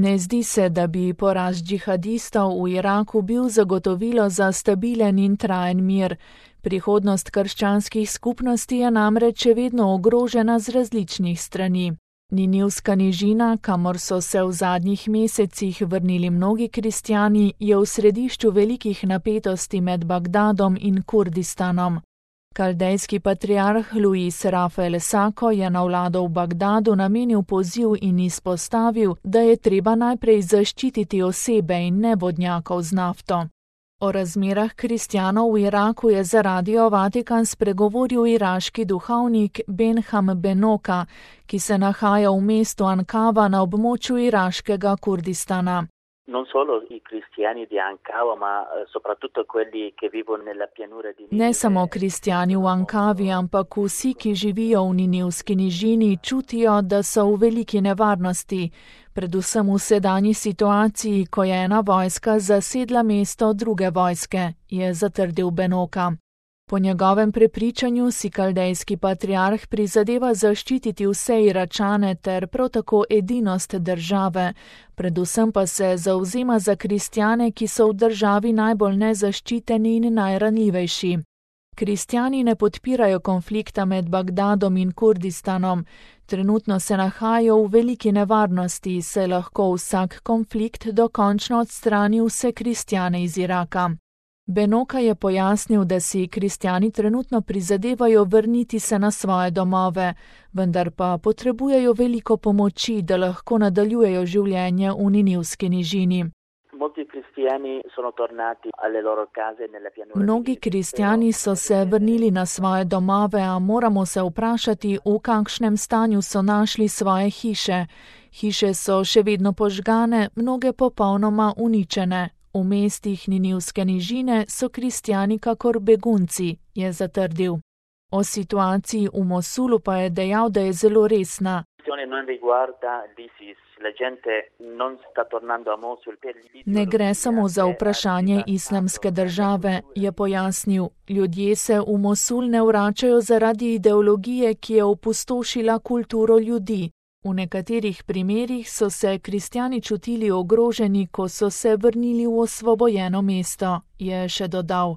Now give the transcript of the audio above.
Ne zdi se, da bi poraz džihadistov v Iraku bil zagotovilo za stabilen in trajen mir. Prihodnost krščanskih skupnosti je namreč še vedno ogrožena z različnih strani. Ninivska nižina, kamor so se v zadnjih mesecih vrnili mnogi kristjani, je v središču velikih napetosti med Bagdadom in Kurdistanom. Kaldejski patriarh Luis Rafael Sako je na vlado v Bagdadu namenil poziv in izpostavil, da je treba najprej zaščititi osebe in ne vodnjakov z nafto. O razmerah kristjanov v Iraku je za Radio Vatikan spregovoril iraški duhovnik Benham Benoka, ki se nahaja v mestu Ankava na območju iraškega Kurdistana. Non solo i cristiani di Ankava, ma soprattutto quelli che vivono nella pianura di Ninive. Ne samo kristjani v Ankavi, ampak vsi, ki živijo v Ninivski nižini, čutijo, da so v veliki nevarnosti, predvsem v sedanji situaciji, ko je ena vojska zasedla mesto druge vojske, je zatrdil Benoka. Po njegovem prepričanju si kaldejski patriarh prizadeva zaščititi vse Iračane ter prav tako edinost države, predvsem pa se zavzema za kristjane, ki so v državi najbolj nezaščiteni in najranljivejši. Kristjani ne podpirajo konflikta med Bagdadom in Kurdistanom. Trenutno se nahajajo v veliki nevarnosti, saj lahko vsak konflikt dokončno odstrani vse kristjane iz Iraka. Benoka je pojasnil, da si kristjani trenutno prizadevajo vrniti se na svoje domove, vendar pa potrebujejo veliko pomoči, da lahko nadaljujejo življenje v Ninivski nižini. Mnogi kristjani so se vrnili na svoje domove, a moramo se vprašati, v kakšnem stanju so našli svoje hiše. Hiše so še vedno požgane, mnoge popolnoma uničene. V mestih Ninivske nižine so kristjani kakor begunci, je zatrdil. O situaciji v Mosulu pa je dejal, da je zelo resna. Ne gre samo za vprašanje islamske države, je pojasnil. Ljudje se v Mosul ne vračajo zaradi ideologije, ki je opustošila kulturo ljudi. V nekaterih primerih so se kristjani čutili ogroženi, ko so se vrnili v osvobojeno mesto, je še dodal.